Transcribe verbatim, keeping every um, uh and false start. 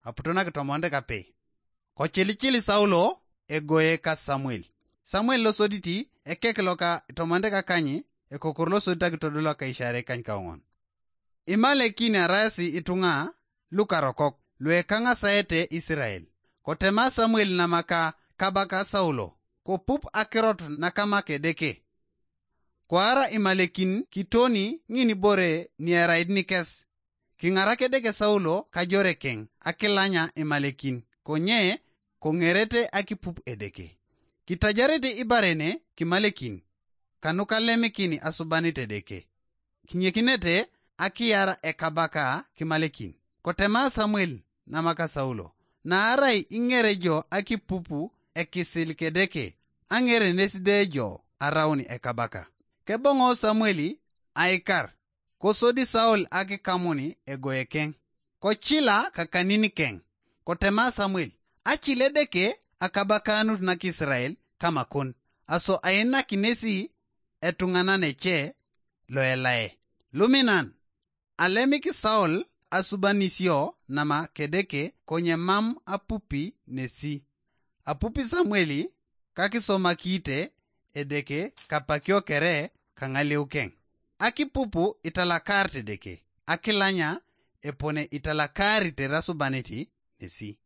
aputo nakitomonit kapei. Kocilicili Saulo egoye ka Samuel. Samuel losoditi ekek loka itomonit kakany, ekokor losodit akitodol loka isiarei kany kaoŋon. Imalekin araasi ituŋa lukarokok luekaŋasaete Isirael. Kotema Samuel namaka kabaka Saulo, kopup akirot nakamak Edeke. Koara Imalekin kitoni ŋin ibore nierait nikes. Kiŋarak Edeke Saulo kajorekeŋ akilanya Imalekin, konye koŋerete akipup Edeke. Kitajarete ibarene kimalekin, kanukalemikin asubanit Edeke. Kinyekinete akiyar ekabaka kimalekin. Kotema Samuel namaka Saulo, naarai iŋere jo akipupu ekisil Kedeke, aŋere nes de jo araun ekabaka. Keboŋo Samuel aikar, kosodi Saul akikamuni egoekeŋ, kocila kakaniniken. Kotema Samuel, acil Edeke akabakanut nakisrael kamakon, aso ainakinesi etuŋanan ece loelae. Luminan, alemik Saul asubanisio nama Kedeke konye mam apupi nesi. Apupi Samueli kakisomakite Edeke kapakio kere kaŋaleukeŋ. Akipupu italakarit Edeke, akilanya epone italakarit erasubaniti nesi.